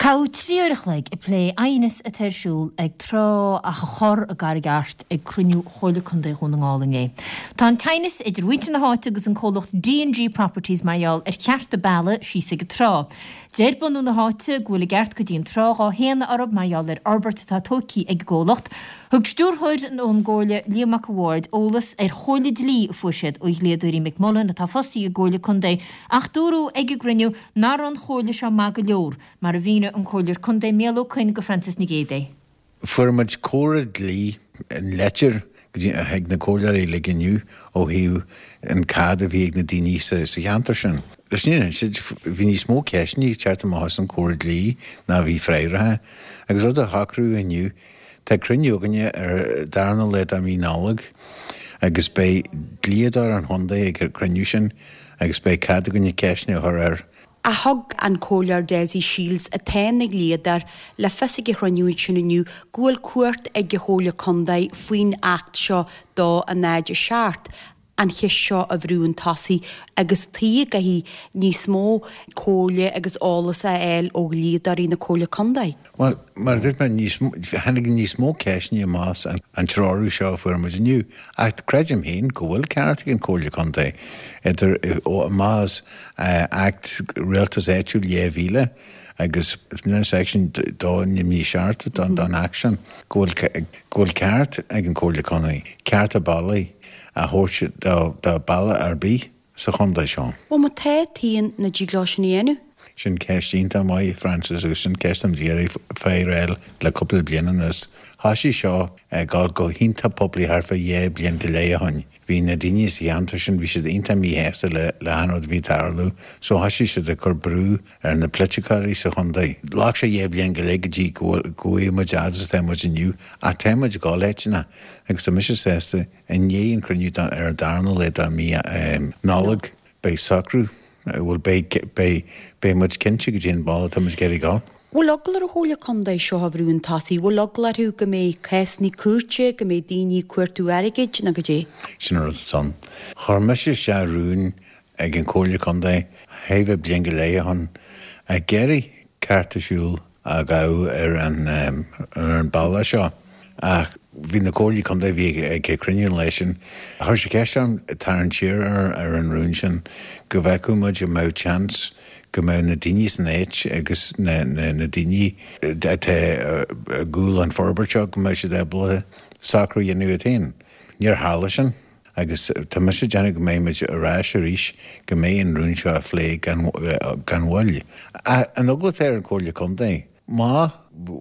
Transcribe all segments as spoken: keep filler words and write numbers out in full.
Caitheadh trí uair a chloig ag plé aighneas atá ar siúl ag trá Achadh Chorr i gCarraig Airt ag cruinniú Chomhairle Contae Dhún na nGall inné. Tá an t-aighneas idir mhuintir na háite agus an comhlacht D&G Properties mar gheall ar chearta bealaigh síos ag an trá. Deir bunú na háite go bhfuil a gceart go dtí an trá dhá shéanadh orthu mar gheall ar fhorbairt atá tógtha ag an gcomhlacht. Thug stiúrthóir ón gComhairle Liam Mac a' Bhaird eolas ar chomhairle dlí a fuair siad ó dhlíodóirí McMullen atá fostaithe ag an gComhairle Contae ach dúradh ag an gcruinniú nach raibh an chomhairle seo maith go leor mar a mhínigh an Comhairleoir Contae Micheál Ó Coinn go Francis Nic Géadaigh. Fuair muid comhairle dlí an leitir ag na comhairleoirí uilig inniu ó thaobh an cead a bhí ag na daoine sa cheantar sin. Leis an bhí níos mó ceisteanna ag teacht amach as an comhairle dlí ná bhí freagraithe, agus rud a shocrú inniu tá cruinniú againne ar darna lá de mhí Nollag agus beidh dlíodóir an chontae ag an cruinniú sin agus beidh cead againne ceisteanna a chur air. A thug an Comhairleoir Dessie Shiels atá ina dhlíodóir le fios ag an chruinniú sin inniu go bhfuil cumhacht ag an Chomhairle Contae faoin Acht seo dó a náid a seacht an cheist seo a bhrú chun tosaigh agus tuige go gcaithfidh níos mó comhairle agus eolas a fháil ó dhlíodóirí na Comhairle Contae. Well, mar dúirt mé tháinig níos mó ceisteanna amach an treorú seo a fuair muid inniu, ach creidim féin go bhfuil ceart ag an Comhairle Contae idir amach as Acht Rialtais Áitiúil dhá mhíle agus section dó naoi seacht don Acht sin go bhfuil go bhfuil ceart ag an Comhairle Contae, cearta bealaigh a thabhairt do bealach ar bith sa chontae seo. Ó má tá taon na dtig leo sin a dhéanamh. Sin ceist iontach maith Francis agus sin ceist an d'iarraidh féréil le cúpla bliain anuas. Thosaigh seo go go hiontach poiblí thart fá dhá bliain go leith ó shin. Bhí na daoine sa cheantar sin bhí siad iontach míshásta le le an rud a bhí ag tarlú, so thosaigh siad ag cur brú ar na polaiticeoirí sa chontae. Ghlac sé dhá bliain go leith go dtí go bhfuil muid fhad is atá muid inniu, ach tá muid ag dul áiteanna agus tá mise sásta i ndiaidh an cruinniú ar an darna lá de mí Nollag beidh socrú bhfuil beidh beidh beidh muid cinnte go dtí an bealach tá muid ag iarraidh dul. Bhfuil eagla ar an Chomhairle Contae seo a bhrú chun tosaigh, bhfuil eagla orthu go mbeidh cásanna cúirte, go mbeidh daoine ag cuartú airgid nó goidé? Sin an rud atá ann. Chuir mise isteach rún ag an Comhairle Contae thart fá bliain go leith ó shin ag iarraidh cearta siúil a ghabh ar an ar an bealach seo ach bhí na comhairlí contae bhí ag cruinniú an lae sin. Chuir sé ceist orm tarraingt siar ar ar an rún sin go bhfeicfeadh muid go mbeadh chance go mbeadh na daoine san áit agus na na na daoine atá i gcúl an forbairt seo go mbeadh siad ábalta socrú a dhéanamh iad féin. Níor tharla sin agus tá mise ag déanamh go mbeidh muid ar ais arís go mbeidh an rún seo á phlé gan gan mhoill. An eagla atá ar an Comhairle Contae má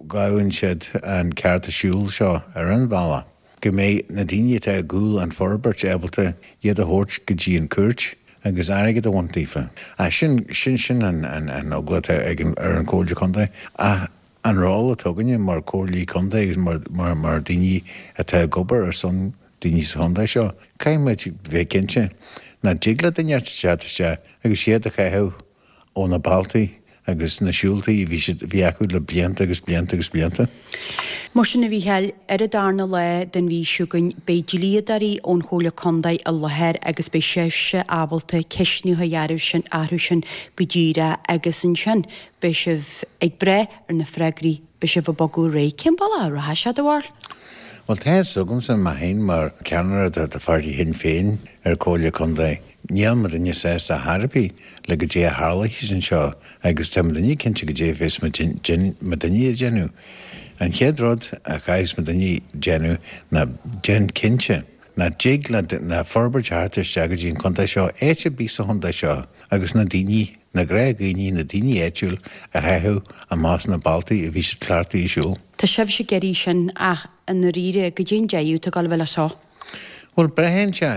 ghabhann siad an cearta siúil seo ar an bhealach, go mbeidh na daoine atá i gcúl an forbairt ábalta iad a thabhairt go dtí an cúirt agus airgead a bhaint daofa. A sin sin sin an an an eagla atá ag an ar an Comhairle Contae. Ach an ról atá againne mar comhairlí contae agus mar mar mar daoine atá ag obair ar son daoine sa chontae seo, caithfidh muid bheith cinnte nach dtig le duine teacht isteach agus iad a chaitheamh ó na bealtaí agus na siúltaí bhí siad bhí acu le blianta agus blianta agus blianta. Mar sin a Mhícheáil, ar an darna lá den mhí seo chugainn beidh dlíodóirí ón Chomhairle Contae i láthair agus beidh sibhse ábalta ceisteanna a chur orthu sin orthu sin go díreach agus ansin beidh sibh ag brath ar na freagraí beidh sibh ag bogadh ar aghaidh. Cén bealach a rachaidh sé do bharúil? Well tá a fhios agamsa mé féin mar ceannaire de pháirtí Shinn Féin ar Comhairle Contae. Níl muidinne sásta ar bith le goidé a tharlaíonn anseo agus tá muidinne cinnte goidé a bheas muidinne a déanamh. An chéad rud a chaithfeas muidinne déanamh ná déan cinnte nach dtig le na forbairt theacht isteach go dtí an chontae seo áit ar bith sa chontae seo agus na daoine na gnáthdhaoine na daoine áitiúil a chaitheamh amach na bealtaí a bhí siad cleachtaithe siúl. Tá sibhse ag iarraidh sin ach i ndáiríre goidé an deireadh atá ag dul a bheith le seo. Well braitheann sé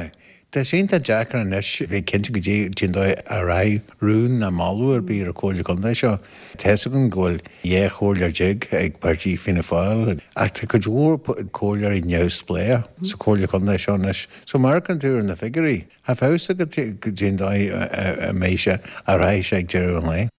Tá sé iontach deacair anois bheith cinnte goidé cén dóigh a rachaidh rún ná moladh ar bith ar an Comhairle Contae seo. Tá a fhios againn go bhfuil dhá chomhairleoir déag ag páirtí Fianna Fáil ach tá cuid mhór comhairleoirí neamhspleách sa Comhairle Contae seo anois. So má amharcann tú ar na figiúirí, tá feabhas agat cén dóigh a mbeidh sé a rachaidh sé ag deireadh an lae.